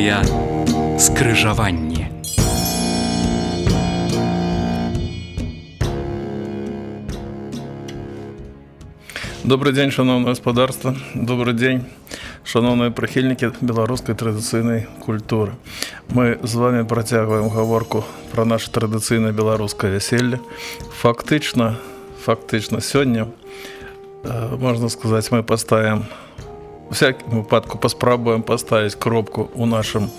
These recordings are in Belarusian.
Перадача «Скрыжаванне». Добрый дзень, шановное гаспадарства. Добрый дзень, шановныя прыхільнікі беларускай традыцыйнай культуры. Мы з вами працягваем гаворку пра наша традыцыйнае беларускае вяселле. Фактычна сёння, можна сказаць, мы паставім, у всякім выпадку паспрабуем паставіць кропку у нашым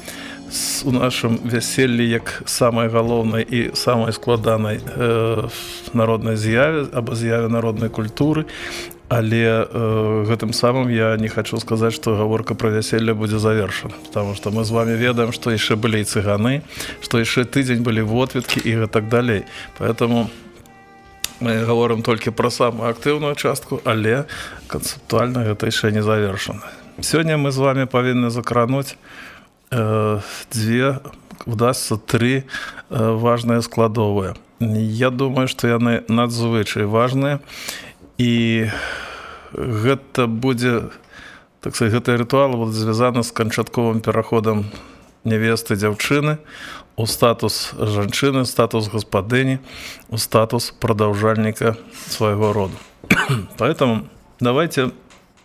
вяселлі як самай галоўнай і самай складанай народнай з'яве або з'яве народнай культуры. Але гэтым самым я не хочу сказаць, што гаворка пра вяселле будзе завершана, потому што мы з вами ведаем, што яшчэ былі і цыганы, што яшчэ тыдзень былі водведкі і гэтак далей. Поэтому мы гаворым толькі пра самую актыўную частку, але канцэптуальна гэта яшчэ не завершана. Сёння мы з вами павінны закрануць удасца тры важныя складовыя. Я думаю, што яны надзвычай важныя. І гэта будзе, так сказать, гэты рытуал будзе звязаны з канчатковым пераходам нявесты дзяўчыны у статус жанчыны, статус гаспадыні, у статус прадаўжальніка свайго роду. Поэтому давайте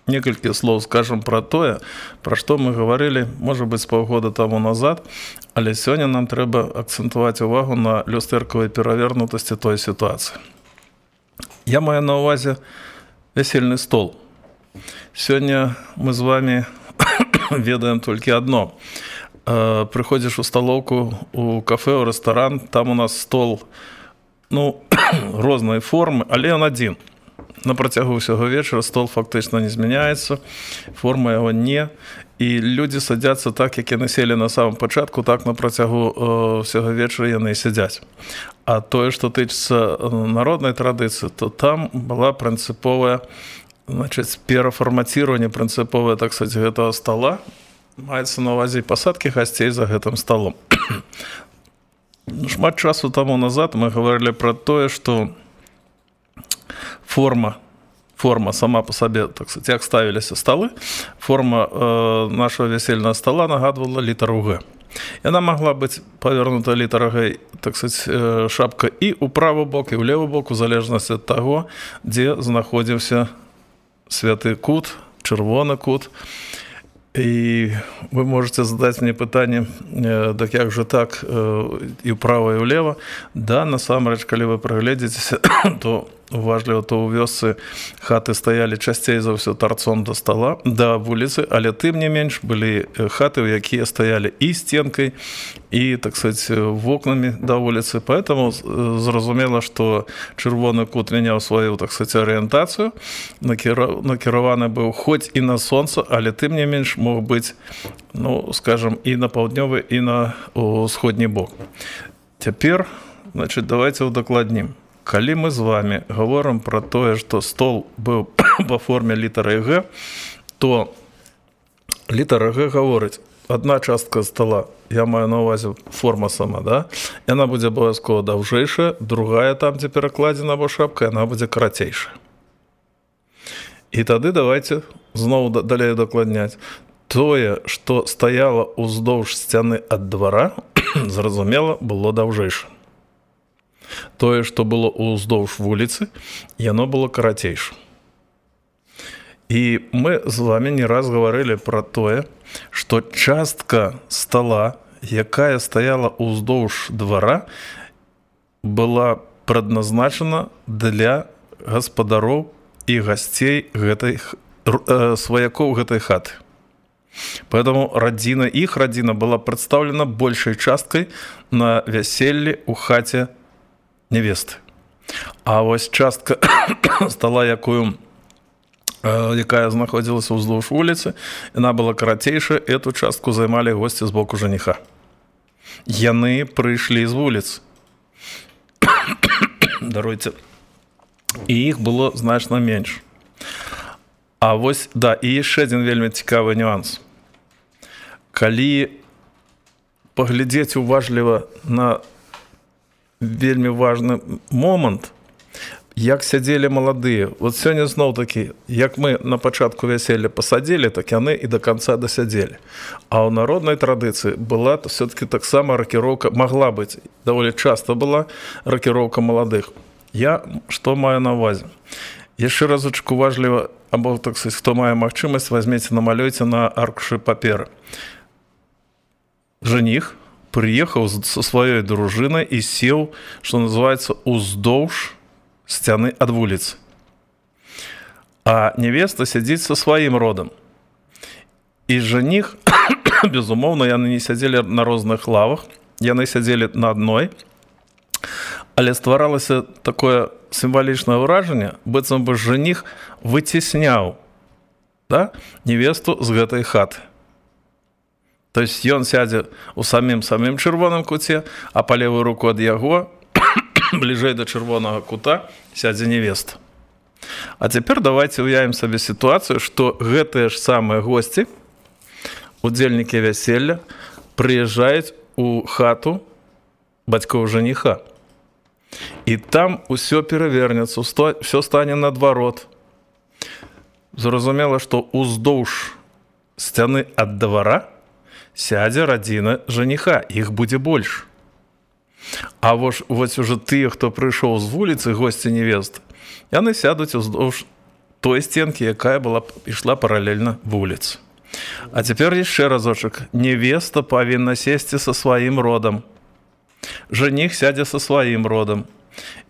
некалькі слоў скажем пра тое, пра што мы гаварылі, можа быць, паўгода таму назад, але сёння нам трэба акцэнтаваць увагу на люстэркавай перавернутасці той сітуацыі. Я маю на ўвазе вясельны стол. Сёння мы з вами ведаем толькі адно. Прыходзіш у сталоўку, у кафе, у рэстаран, там у нас стол, рознай формы, але ён адзін. На працягу ўсяго вечара стол фактычна не змяняецца, форма яго не, і людзі садзяцца так, як яны селі на самым пачатку, так на працягу ўсяго вечара яны і сядзяць. А тое, што тычыцца народнай традыцыі, то там была прынцыповая, перафармаціраванне прынцыповае, так сказаць, гэтага стола. Маецца на ўвазе пасадкі гасцей за гэтым столом. Шмат часу таму назад мы гаварылі пра тое, што форма сама по сабе, так сказать, як ставіліся столы, форма нашего весельного стола нагадвала літару Г. Яна могла быць павернута літара Г, так сказать, шапка і ў правы бок, і ў левы бок, у залежнасці ад таго, дзе знаходзіўся святы кут, чырвоны кут. І вы можете задаць мне пытанне, так як же так, і ўправа, і ўлева. Да, насамрэч, калі вы прагледзіцеся, то уважліва, то ў вёсцы хаты стаялі часцей за ўсё тарцом да стола, да вуліцы, але тым не менш былі хаты, у якія стаялі і стенкай, і, так сказать, вокнамі да вуліцы. Поэтому зразумела, што чырвоны кут мяняў сваю, так сказать, арыентацыю, накіраваны быў хоць і на сонца, але тым не менш мог быць, скажем, і на паўднёвы, і на ўсходні бок. Цяпер, значит, давайте удакладнім. Калі мы з вами гаворым пра тое, што стол быў па форме літары Г, то літара Г гаворыць, адна частка стола, я маю на ўвазе форма сама, да? Яна будзе абавязкова даўжэйшая, другая там, дзе перакладзена або шапка, яна будзе карацейшая. І тады давайте зноў далей дакладняць. Тое, што стаяла ўздоўж сцяны ад двара, зразумела, было даўжэйша. Тое, што было ўздоўж вуліцы, яно было карацейшым. І мы з вами не раз гаварылі пра тое, што частка стола, якая стаяла ўздоўж двара, была прадназначана для гаспадароў і гасцей сваякоў гэтай хаты. Поэтому іх радзіна была прадстаўлена большай часткай на вяселлі ў хаце невесты. А вось частка стола, якая знаходзілася ўздоўж вуліцы, яна была карацейшая, эту частку займалі госці з боку жаніха. Яны прыйшлі з вуліцы. Даруйце. І іх было значна менш. А вось, да, і яшчэ адзін вельмі цікавы нюанс. Калі паглядзець уважліва на вельмі важны момант, як сядзелі маладыя. Вот сёння зноў такі, як мы на пачатку вяселля пасадзілі, так яны і да канца дасядзелі. А ў народнай традыцыі была все-таки таксама ракіроўка, магла быць, даволі часта была ракіроўка маладых. Я што маю на ўвазе? Яшчэ разочак уважліва, або, так сказать, хто мае магчымасць, возьмеце, намалюйце на аркушы паперы. Жаніх прыехаў са сваёй дружынай і сеў, што называецца, уздоўж сцяны ад вуліцы. А невеста сядзіць са сваім родам. І жаніх, безумоўна, яны не сядзелі на розных лавах, яны сядзелі на адной, але стваралася такое сімвалічнае ўражанне, быццам бы жаніх выцесняў, да, невесту з гэтай хаты. То есть ён сядзе ў самым чырвоным куце, а па левую руку ад яго, бліжэй да чырвонага кута, сядзе невеста. А цяпер давайте уявім сабе сітуацыю, што гэтыя ж самыя госці, удзельнікі вяселля, прыязджаюць у хату бацькоў жаніха. І там усё перавернецца, усё стане наадварот. Зразумела, што уздоўж сцяны ад двара сядзе радзіна жаніха, іх будзе больш. А вось уже тыя, хто прыйшоў з вуліцы, госці невесты, яны сядуць уздоўж той сценкі, якая ішла паралельна вуліцы. А цяпер яшчэ разочак. Невеста павінна сесці са сваім родам. Жаніх сядзе са сваім родам.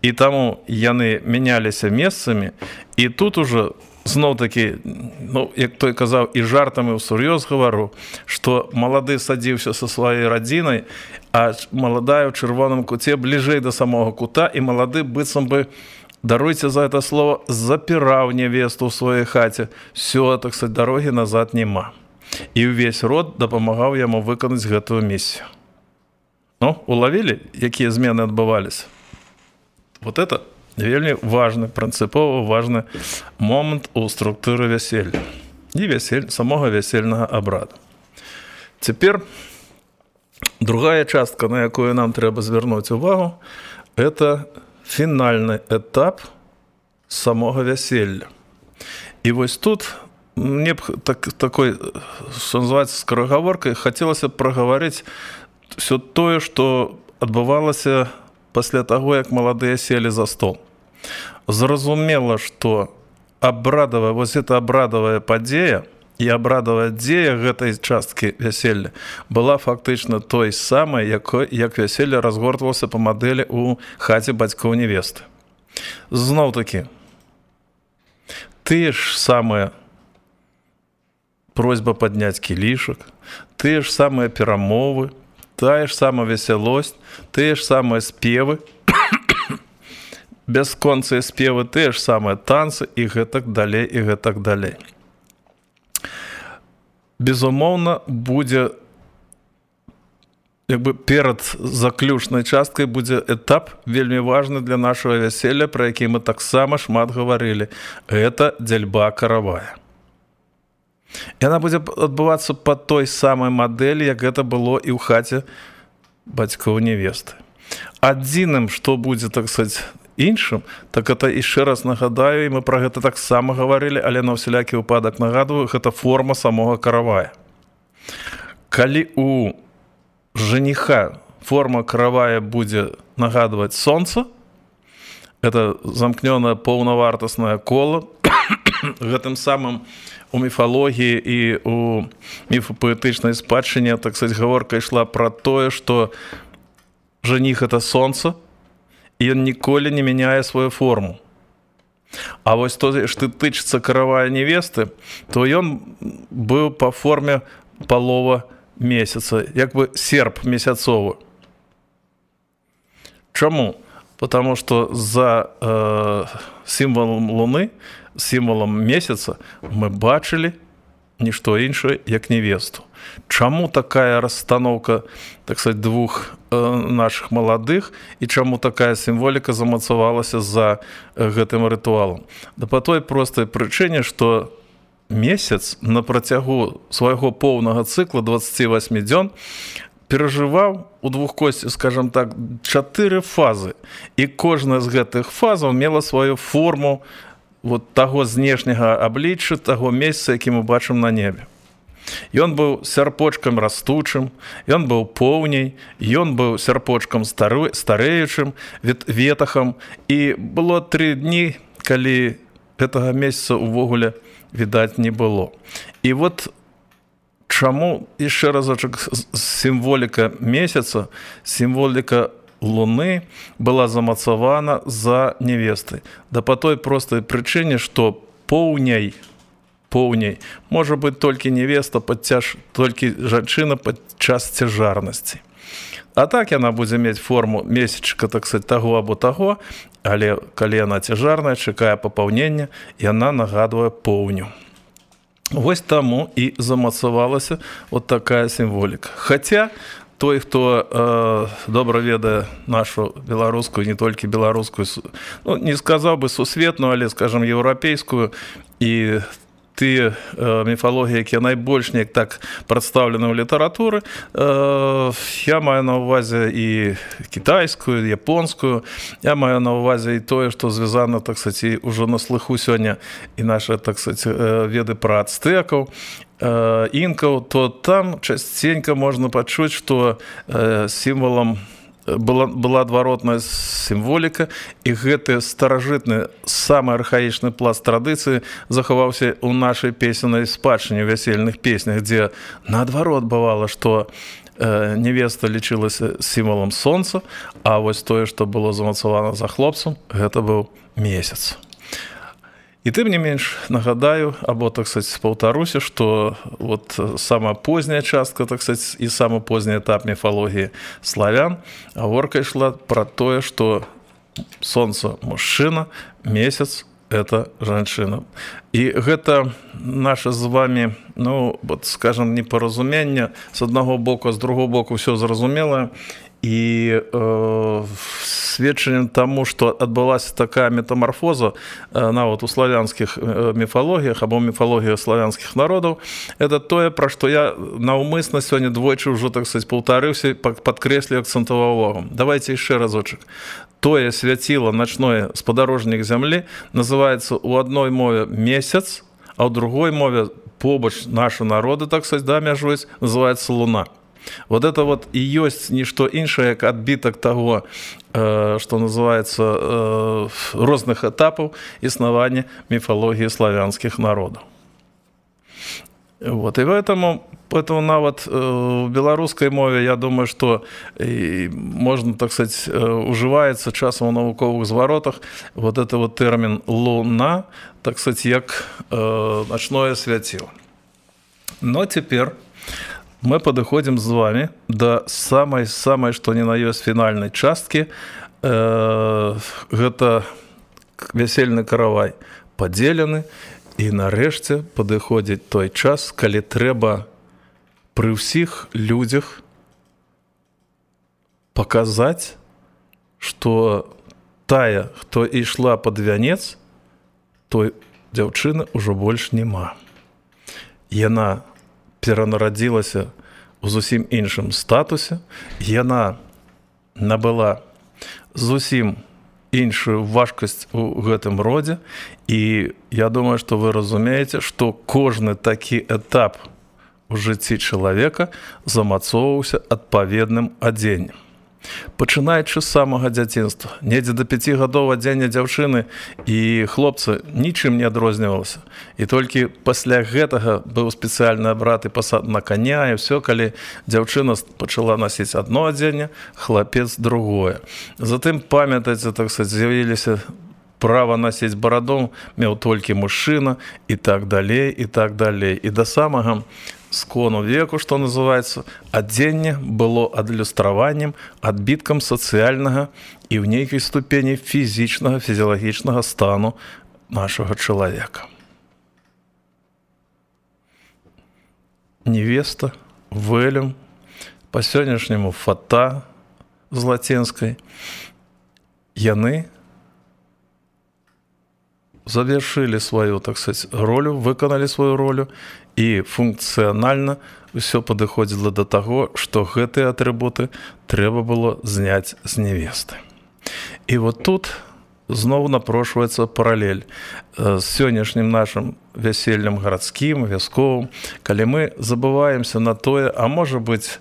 І таму яны мяняліся месцамі, і тут уже зноў-такі, ну, як той казаў, і жартам, і ўсур'ёз гавару, што малады садзіўся са сваёй радзінай, а маладая ў чырвоным куце бліжэй да самога кута, і малады быццам бы, даруйце за это слово, запіраў невесту ў сваёй хаце. Всё, так сказать, дарогі назад няма. І ўвесь род дапамагаў яму выканаць гэтую місію. Ну, улавілі, якія змены адбываліся? Вот это вельмі важны, прынцыпова важны момант у структуры вяселля і самога вясельнага абраду. Цяпер другая частка, на якую нам трэба звярнуць увагу, это фінальны этап самога вяселля. І вось тут мне б такой, што называецца, скарагаворкай, хацелася б прагаварыць все тое, што адбывалася пасля таго, як маладыя селі за стол. Зразумела, што вось эта абрадавая падзея і абрадавая дзея гэтай часткі вяселля была фактычна той самай, як вяселле разгортвалася па мадэлі ў хаце бацькоў невесты. Зноў-такі, тыя ж самыя просьба падняць кілішак, тыя ж самыя перамовы, тая ж самая весялосць, тыя ж самыя спевы, бясконцыя спевы, тыя ж самыя танцы і гэтак далей, і гэтак далей. Безумоўна, будзе, перад заключнай часткай будзе этап вельмі важны для нашага вяселля, пра які мы таксама шмат гаварылі. Гэта дзяльба каравая. Яна будзе адбывацца па той самай мадэлі, як гэта было і ў хаце бацькоў невесты. Адзіным, што будзе, так сказаць, іншым, так это яшчэ раз нагадаю, і мы пра гэта таксама гаварылі, але на ўсялякі выпадак нагадваю, гэта форма самога каравая. Калі у жаніха форма каравая будзе нагадваць сонца, это замкнёнае паўнавартаснае кола, гэтым самым у міфалогіі і у міфапаэтычнай спадчыне, так сказаць, гаворка ішла пра тое, што жаніх — это сонца, і ён ніколі не мяняе сваю форму. А вось тое, што тычыцца каравая невесты, то ён быў па форме палова месяца, як бы серп месяцовы. Чаму? Потому што за сімвалам Луны, сімвалам месяца мы бачылі нішто іншае, як невесту. Чаму такая расстаноўка, так сказать, двух наших маладых, і чаму такая сімволіка замацавалася за гэтым рытуалам? Да па той простай прычыне, што месяц на працягу свайго поўнага цыкла 28 дзён перажываў у двухкосці, скажем так, 4 фазы. І кожная з гэтых фазаў мела сваю форму вот таго знешняга аблічча, таго месца, які мы бачым на небе. Ён быў сярпочкам растучым, ён быў поўняй, ён быў сярпочкам старэючым, ветахам. І было 3 дні, калі гэтага месяца ўвогуле відаць не было. І вот чаму, яшчэ разочак, сімволіка месяца, сімволіка Луны была замацавана за невестай. Да па той простай прычыне, што поўняй можа быць толькі невеста, толькі жанчына падчас цяжарнасці. А так яна будзе мець форму месячка, так сказать, таго або таго, але калі яна цяжарная, чакае папаўнення, яна нагадвае поўню. Вось таму і замацавалася вот такая сімволіка. Хаця той, хто добра ведае нашу беларускую, не толькі беларускую, ну, не сказаў бы сусветную, але, скажем, еўрапейскую, і тыя міфалогіі, якія найбольш неяк так прадстаўлены ў літаратуры, я маю на ўвазе і кітайскую, і японскую, я маю на ўвазе і тое, што звязана, так сказать, ўжо на слыху сёння і нашы, так сказать, веды пра ацтэкаў, інкаў, то там часценька можна пачуць, што сімвалам была адваротная сімволіка, і гэты старажытны, самы архаічны пласт традыцыі захаваўся ў нашай песеннай спадчыне, ў вясельных песнях, дзе наадварот бывала, што невеста лічылася сімвалам сонца, а вось тое, што было замацавана за хлопцам, гэта быў месяц. І тым не менш нагадаю, або, так сказать, паўтаруся, што вот самая позняя частка, так сказать, і самы позні этап міфалогіі славян, гаворка ішла пра тое, што сонца мужчына, месяц это жанчына. І гэта наше з вами, ну, вот, скажем, непаразуменне, з аднаго боку, з другого боку ўсё зразумелае, і сведчаннем таму, што адбылася такая метамарфоза нават у славянскіх міфалогіях або міфалогіях славянскіх народаў, это тое, пра што я наўмысна сёння двойчы ўжо, так сказать, паўтарыўся, падкрэсліў, акцэнтаваў увагу. Давайте яшчэ разочак. Тое свяціла начное спадарожнік зямлі называецца ў адной мове месяц, а ў другой мове побач нашы народы, так сказать, да, мяжуюць, называецца луна. Вот это вот и есть ничто іншае, як адбітак таго, што называецца розных этапаў існавання міфалогіі славянскіх народаў. Вот, и поэтому нават в беларускай мове, я думаю, што можна, так сказать, ужываецца часам у навуковых зваротах вот это вот тэрмін луна, так сказать, як начное свяціла. Но теперь мы падыходзім з вами да самай, што ні на ёсць фінальнай часткі. Гэта вясельны каравай падзелены, і нарэшце падыходзіць той час, калі трэба пры ўсіх людзях паказаць, што тая, хто ішла пад вянец, той дзяўчыны ўжо больш няма. Яна перанарадзілася ў зусім іншым статусе, яна набыла зусім іншую важкасць у гэтым родзе, і я думаю, што вы разумееце, што кожны такі этап у жыцці чалавека замацоўваўся адпаведным адзеннем. Пачынаючы з самага дзяцінства, недзе да 5 гадоў адзенне дзяўчыны і хлопца нічым не адрознівалася. І толькі пасля гэтага быў спецыяльны абрад і пасад на коня, і ўсё, калі дзяўчына пачала насіць адно адзенне, хлапец другое. Затым, памятаеце, так сказать, з'явіліся права насіць бараду, меў толькі мужчына, і так далей, і так далей. І да самага скону веку, што называецца, адзенне было адлюстраваннем, адбіткам сацыяльнага і ў нейкай ступені фізічнага, фізіялагічнага стану нашага чалавека. Невеста, вэлюм, па-сённяшняму фата з лацінскай, яны завершили свою, так сказать, ролю, выканалі сваю ролю, і функцыянальна ўсё падыходзіла да таго, што гэтыя атрыбуты трэба было зняць з невесты. І вот тут зноў напрошваецца паралель з сённяшнім нашым вяселлем гарадскім, вясковым, калі мы забываемся на тое, а можа быць,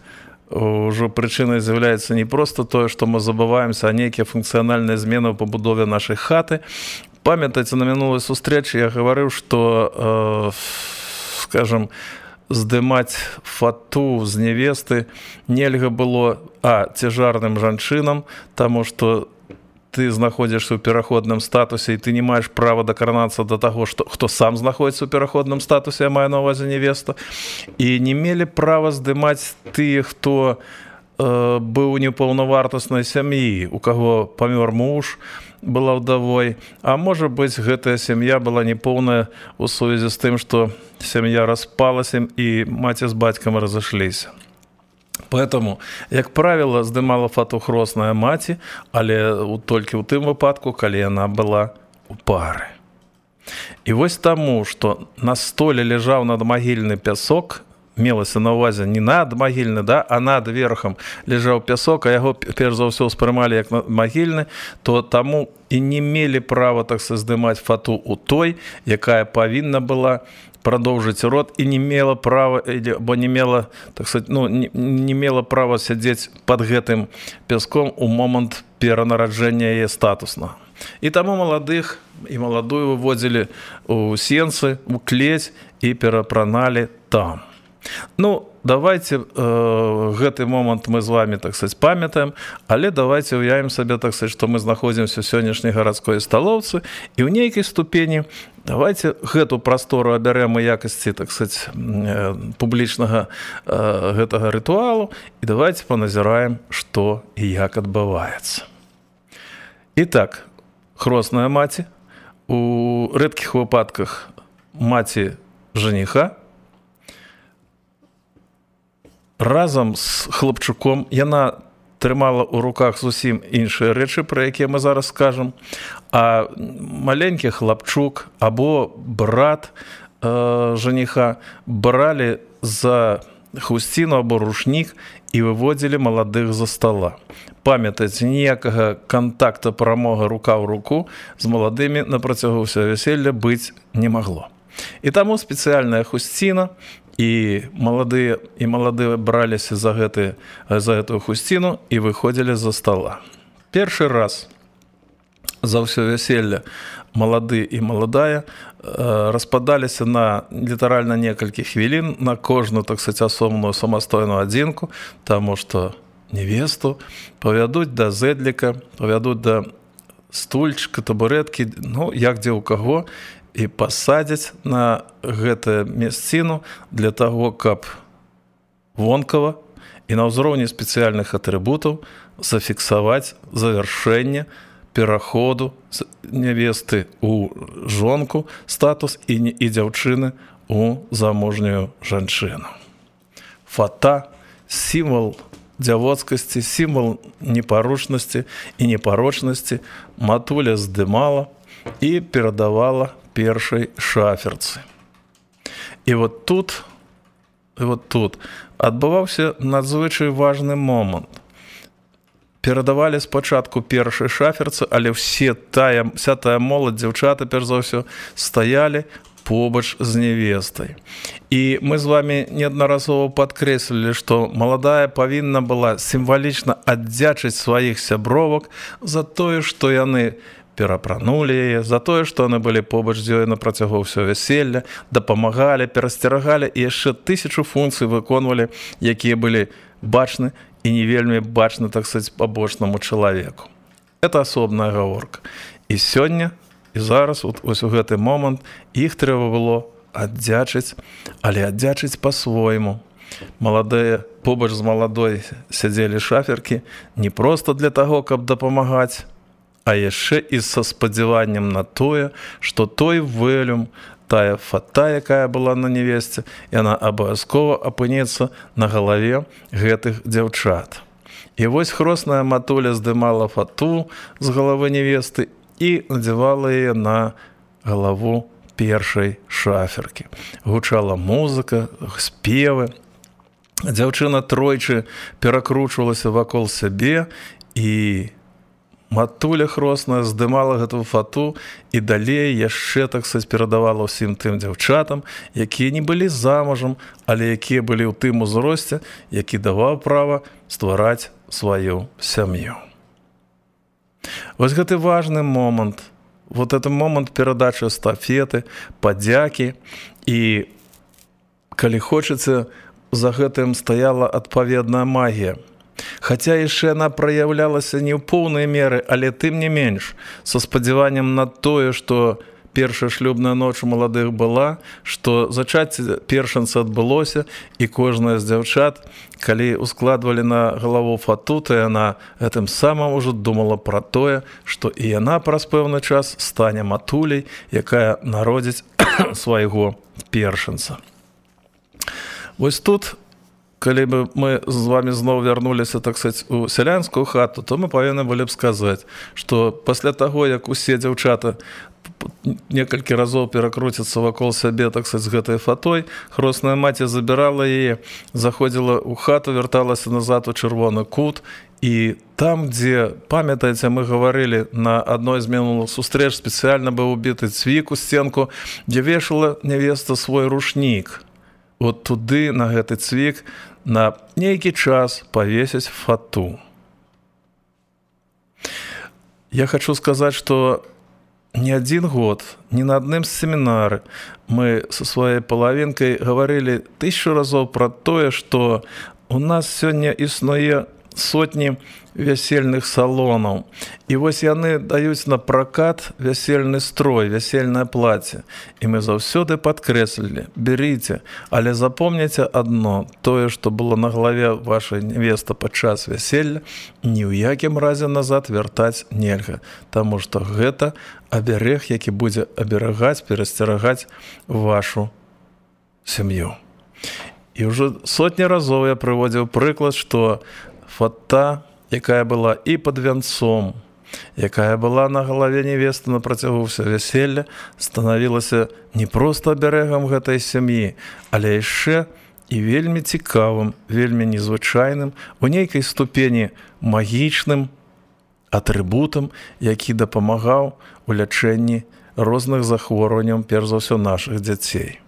ўжо прычынай з'яўляецца не проста тое, што мы забываемся, а нейкія функцыянальныя змены ў пабудове нашай хаты. Памятаеце, на мінулай сустрэчы я гаварыў, што, скажам, здымаць фату з невесты нельга было цяжарным жанчынам, таму што ты знаходзішся ў пераходным статусе, і ты не маеш права дакранацца да таго, хто сам знаходзіцца ў пераходным статусе, я маю на ўвазе невеста, і не мелі права здымаць тыя, хто быў у непаўнавартаснай сям'і, у каго памёр муж, была ўдавой, а можа быць, гэтая сям'я была непоўная ў сувязі з тым, што сям'я распалася і маці з бацькам разышліся. Поэтому, як правіла, здымала фату хросная маці, але толькі ў тым выпадку, калі яна была ў пары. І вось таму, што на столе ляжаў надмагільны пясок, мелася на ўвазе не надмагільны, а над верхам ляжаў пясок, а яго перш за ўсё ўспрымалі як надмагільны, то таму і не мелі права, так сказаць, здымаць фату ў той, якая павінна была прадоўжыць род і не мела права, бо не мела, так сказаць, не мела права сядзець пад гэтым пяском у момант перанараджэння яе статусна. І таму маладых і маладую выводзілі ў сенцы, у клець і перапраналі там. Давайте гэты момант мы з вами, так сказать, памятаем, але давайте уявім сабе, так сказать, што мы знаходзімся ў сённяшняй гарадской сталоўцы, і ў нейкай ступені давайте гэту прастору абярэм у якасці, так сказать, публічнага гэтага рытуалу, і давайте паназіраем, што і як адбываецца. Итак, хросная маці, у рэдкіх выпадках маці жаніха, разам з хлапчуком, яна трымала ў руках зусім іншыя рэчы, пра якія мы зараз скажам, а маленькі хлапчук або брат жаніха бралі за хусціну або рушнік і выводзілі маладых за стола. Памятайце, ніякага кантакта прамога рука ў руку з маладымі на працягу ўсяго вяселля быць не магло. І таму спецыяльная хусціна, і маладыя браліся за гэтую хусціну і выходзілі за стола. Першы раз за ўсё вяселле малады і маладая распадаліся на літаральна некалькі хвілін на кожную, так сказать, асобную самастойную адзінку, таму што невесту павядуць да зэдліка, павядуць да стульчыка, табурэткі, як дзе ў каго, і пасадзяць на гэтую месціну для таго, каб вонкава і на ўзроўні спецыяльных атрыбутаў зафіксаваць завяршэнне пераходу невесты ў жонку, статус і дзяўчыны ў заможнюю жанчыну. Фата – сімвал дзявоцкасці, сімвал непарушнасці і непарочнасці матуля здымала і перадавала першай шаферцы. І вот тут адбываўся надзвычай важны момант. Перадавалі спачатку першай шаферцы, але вся тая моладзь, дзяўчаты, перш за ўсё, стаялі побач з невестай. І мы з вами неаднаразова падкрэслілі, што маладая павінна была сімвалічна аддзячыць сваіх сябровак за тое, што яны перапранулі яе, за тое, што яны былі побач з ёй на працягу ўсё вяселля, дапамагалі, перасцерагалі і яшчэ 1000 функцый выконвалі, якія былі бачны і не вельмі бачны, так сказаць, пабочнаму чалавеку. Это асобная гаворка. І сёння, і зараз, ось у гэты момант, іх трэба было аддзячыць, але аддзячыць па-свойму. Маладыя побач з маладой сядзелі шаферкі не проста для таго, каб дапамагаць, а яшчэ і са спадзяваннем на тое, што той вэлюм, тая фата, якая была на невесце, яна абавязкова апынецца на галаве гэтых дзяўчат. І вось хросная матуля здымала фату з галавы невесты і надзявала яе на галаву першай шаферкі. Гучала музыка, спевы. Дзяўчына тройчы перакручвалася вакол сябе, і матуля хросная здымала гэтую фату і далей яшчэ, так сказаць, перадавала ўсім тым дзяўчатам, якія не былі замужам, але якія былі ў тым узросце, які даваў права ствараць сваю сям'ю. Вось гэты важны момант, вот это момант перадачы эстафеты, падзякі, і калі хочаце, за гэтым стаяла адпаведная магія. Хаця яшчэ яна праяўлялася не ў поўнай меры, але тым не менш, са спадзяваннем на тое, што першая шлюбная ноч у маладых была, што зачацце першынца адбылося, і кожная з дзяўчат, калі ускладвалі на галаву фату, то яна гэтым самым ужо думала пра тое, што і яна праз пэўны час стане матуляй, якая народзіць свайго першынца. Вось тут, калі бы мы з вами зноў вярнуліся, так сказаць, у сялянскую хату, то мы павінны былі б сказаць, што пасля таго, як усе дзяўчаты некалькі разоў перакруцяцца вакол сябе, так сказаць, з гэтай фатой, хросная маці забірала яе, заходзіла ў хату, вярталася назад у чырвоны кут, і там, дзе, памятаеце, мы гаварылі, на адной з мінулых сустрэч спецыяльна быў убіты цвік у сценку, дзе вешала нявеста свой рушнік. Вот туды, на гэты цвік, на нейкі час павесіць фату. Я хочу сказаць, што не адзін год, ні на адным з семінары мы са сваёй палавінкай гаварылі 1000 разоў пра тое, што у нас сёння існуе сотні вясельных салонаў. І вось яны даюць на пракат вясельны строй, вясельнае плаце. І мы заўсёды падкрэслілі: беріце, але запомніце адно, тое, што было на галаве вашай невесты падчас вяселля, ні ў якім разе назад вяртаць нельга, таму што гэта аберег, які будзе аберагаць, перасцерагаць вашу сям'ю. І ўжо сотні разоў я прыводзіў прыклад, што фата, якая была і пад вянцом, якая была на галаве невесты на працягу ўсё вяселля, станавілася не проста аберегам гэтай сям'і, але яшчэ і вельмі цікавым, вельмі незвычайным, у нейкай ступені магічным атрыбутам, які дапамагаў у лячэнні розных захворванняў, перш за ўсё, нашых дзяцей.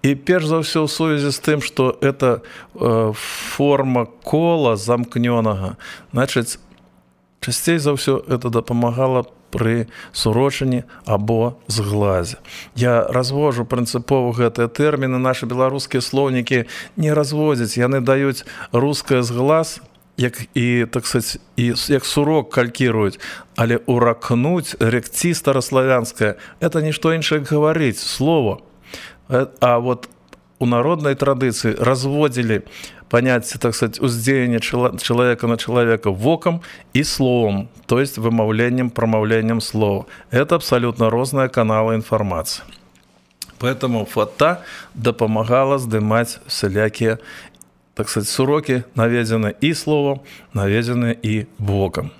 І перш за ўсё ў сувязі з тым, што это форма кола замкнёнага, значыць, часцей за ўсё это дапамагала пры сурочанні або зглазе. Я развожу прынцыпова гэтыя тэрміны, нашы беларускія слоўнікі не разводзяць, яны даюць рускае зглаз, як і, так сказаць, і як сурок калькіруюць, але уракнуць, рекці стараславянскае, это нішто іншае, як гаварыць, слово. А вот у народной традыцыі разводзілі паняцце, так сказать, уздзеяння чалавека на чалавека вокам і словам, то есть вымаўленнем, прамаўленнем слова. Это абсолютно розныя каналы інфармацыі. Поэтому фата дапамагала здымаць всялякія, так сказать, сурокі, наведзены і словам, наведзены і вокам.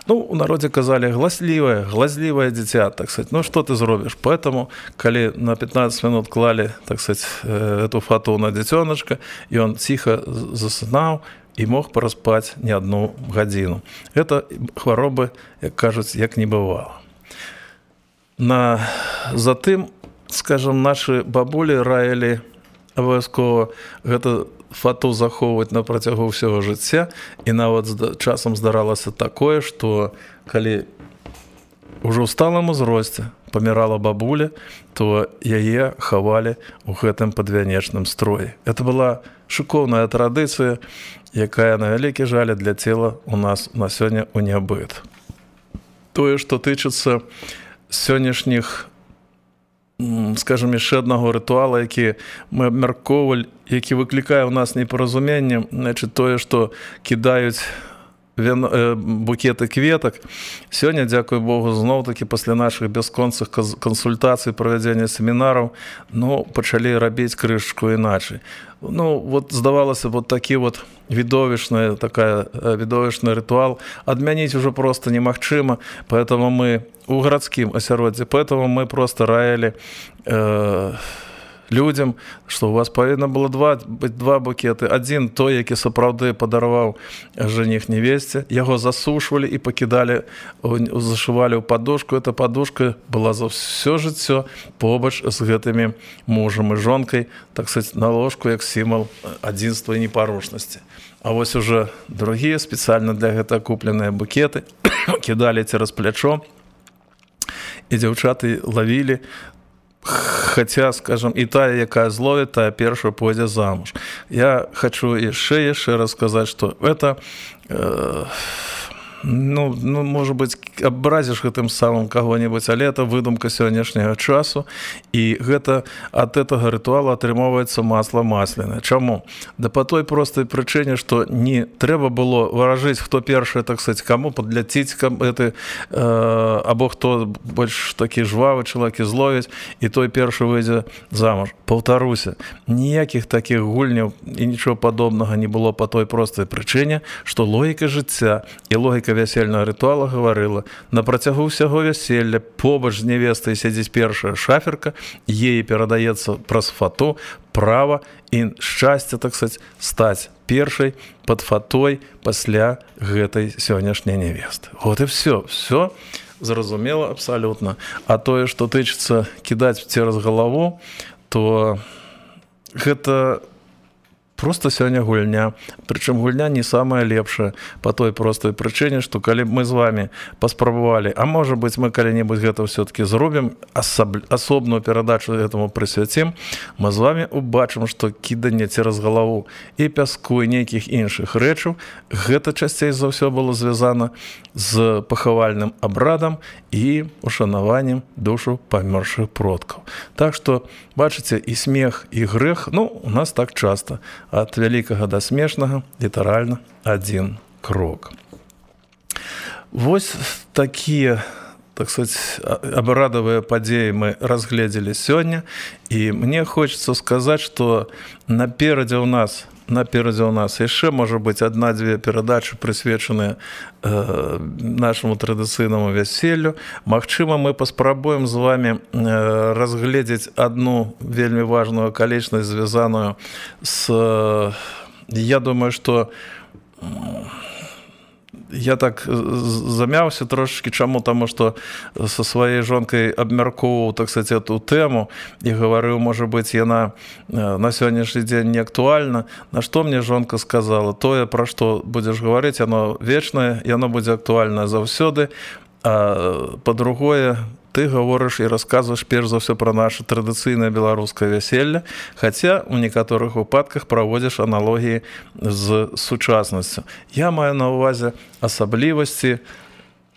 Ну, у народзе казалі глазливое дзіця, так сказать, ну, что ты зробіш? Поэтому, калі на 15 минут клалі, так сказать, эту фату на дзіцёначка, і он ціха засынаў і мог пораспаць не одну гадзіну. Это хваробы, як кажуць, як не бывало. Затым, скажем, наши бабулі раілі абавязкова гэта фату захоўваць на працягу ўсяго жыцця, і нават часам здаралася такое, што калі ўжо ў сталым узросце памірала бабуля, то яе хавалі ў гэтым падвянечным строі. Это была шыкоўная традыцыя, якая, на вялікі жаль, для цела у нас на сёння ў нябыт. Тое, што тычыцца сённяшніх, скажем, яшчэ аднаго рытуала, які мы абмяркоўвалі, які выклікае ў нас непаразуменне, значит, тое, што кідаюць букеты кветак. Сёння, дзякуй Богу, зноў-такі пасля нашых бясконцых кансультацый, правядзення семінараў, пачалі рабіць крышачку іначай. Вот здавалася, вот такі вот відовішны рытуал адмяніць ужо просто немагчыма, поэтому мы у гарадскім асяроддзі, поэтому мы просто раілі людям, што у вас павінна было быць два букеты. Адзін той, які сапраўды падарваў жаніх невесце, яго засушвалі і пакідалі, зашывалі ў падушку. Эта падушка была за ўсё жыццё побач з гэтымі мужам і жонкай, так сказать, на ложку як сімвал адзінства і непарушнасці. А вось уже другія спецыяльна для гэтага купленыя букеты кідалі цераз плячо, і дзяўчаты лавілі. Хотя, скажем, и та, якая зловит, та першая пойдзе замуж. Я хочу яшчэ раз сказаць, што это, может быть, абразіш гэтым самым каго-небудзь, але это выдумка сённяшняга часу, і гэта ад гэтага рытуала атрымоўваецца масла масляное. Чаму? Да по той простай прычыне, што не трэба было выражыць, хто першы, так сказать, каму падляціць або хто больш такі жвавы чалавек зловіць, і той першы выйдзе замуж. Паўтаруся, ніякіх такіх гульняў і нічого падобнага не было по той простай прычыне, што логіка жыцця і логіка вясельнага рытуала гаварыла: на працягу ўсяго вяселля побач з невестай сядзіць першая шаферка, ей перадаецца праз фату права і шчасце, так сказать, стаць першай пад фатой пасля гэтай сённяшняй невесты. Вот і все зразумела абсалютна. А тое, што тычыцца кідаць цераз галаву, то гэта просто сёння гульня. Прычым гульня не самая лепшая по той простой прычыне, што калі мы з вами паспрабавалі, а можа быць, мы калі-небудзь гэта ўсё-таки зробім, асобную перадачу гэтаму прысвяцім, мы з вами убачым, што кіданне цераз галаву і пяску, і нейкіх іншых рэчаў, гэта часцей за ўсё было звязана з пахавальным абрадам і ушанаваннем душу памёршых продкаў. Так што, бачыце, і смех, і грэх, у нас так часта. Ад вялікага да смешнага літаральна адзін крок. Вось такія, так сказать, абрадавыя падзеі мы разгледзелі сёння, і мне хочется сказаць, што наперадзе ў нас яшчэ можа быць адна-дзве перадачы, прысвечаныя нашаму традыцыйнаму вяселлю. Магчыма, мы паспрабуем з вами разгледзець адну вельмі важную акалічнасць, звязаную з... Я думаю, што я так замяўся трошечки. Чаму? Таму што са сваёй жонкай абмяркоўваў, так сказать, эту тэму і гаварыў, можа быць, яна на сённяшні дзень не актуальна. На што мне жонка сказала: тое, пра што будзеш гаварыць, яно вечнае, яно будзе актуальна заўсёды. А па-другое, ты гаворыш і расказваеш перш за ўсё пра наша традыцыйнае беларускае вяселле, хаця ў некаторых выпадках праводзіш аналогіі з сучаснасцю. Я маю на ўвазе асаблівасці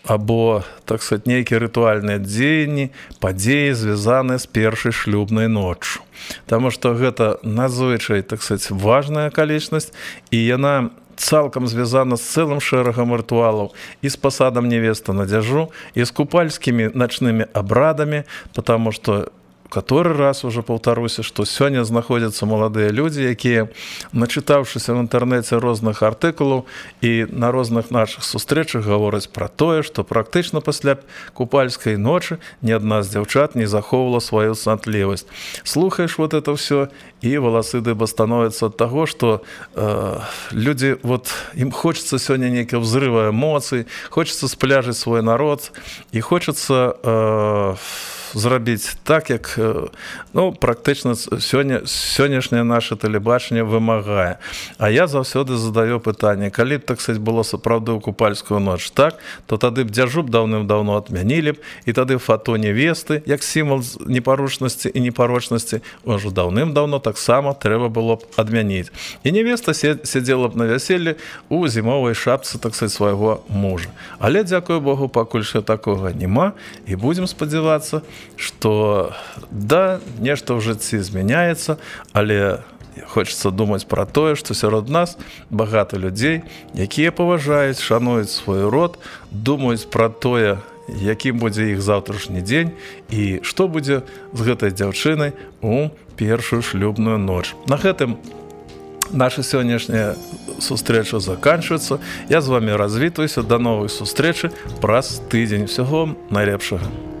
або, так сказать, нейкія рытуальныя дзеянні, падзеі, звязаныя з першай шлюбнай ноччу. Таму што гэта надзвычай, так сказать, важная акалічнасць, і яна цалкам звязана з цэлым шэрагам рытуалаў і з пасадам невесты на дзяжу, і з купальскімі начнымі абрадамі, потому што который раз уже паўтаруся, што сёння знаходзяцца маладыя людзі, якія, начытаўшыся в інтэрнэце розных артыкулаў і на розных нашых сустрэчах, гавораць пра тое, што практычна пасля купальскай ночы ні адна з дзяўчат не захоўвала сваю цнатлівасць. Слухаеш вот это ўсё, і валасы дыба становяцца ад таго, што людзі, ім хочацца сёння нейкага взрыва эмоцый, хочацца спляжыць свой народ, і хочацца зрабіць так, як практычна сённяшняе наше тэлебачанне вымагае. А я заўсёды задаю пытанне: калі б, так сказать, было сапраўды ў купальскую ноч так, то тады б дзяжу даўным-даўно адмянілі б, і тады фато невесты, як сімвал непарушнасці і непарочнасці, ўжо даўным-даўно таксама трэба было б адмяніць. І невеста сядзела б на вяселлі ў зімовай шапцы, так сказать, свайго мужа. Але, дзякуй Богу, пакуль што такога няма, і будзем спадзявацца, што да, нешта ў жыцці змяняецца, але хочацца думаць пра тое, што сярод нас багата людзей, якія паважаюць, шануюць свой род, думаюць пра тое, якім будзе іх заўтрашні дзень і што будзе з гэтай дзяўчынай у першую шлюбную ноч. На гэтым наша сённяшняя сустрэча заканчваецца. Я з вами развітваюся. Да новай сустрэчы праз тыдзень. Всяго найлепшага.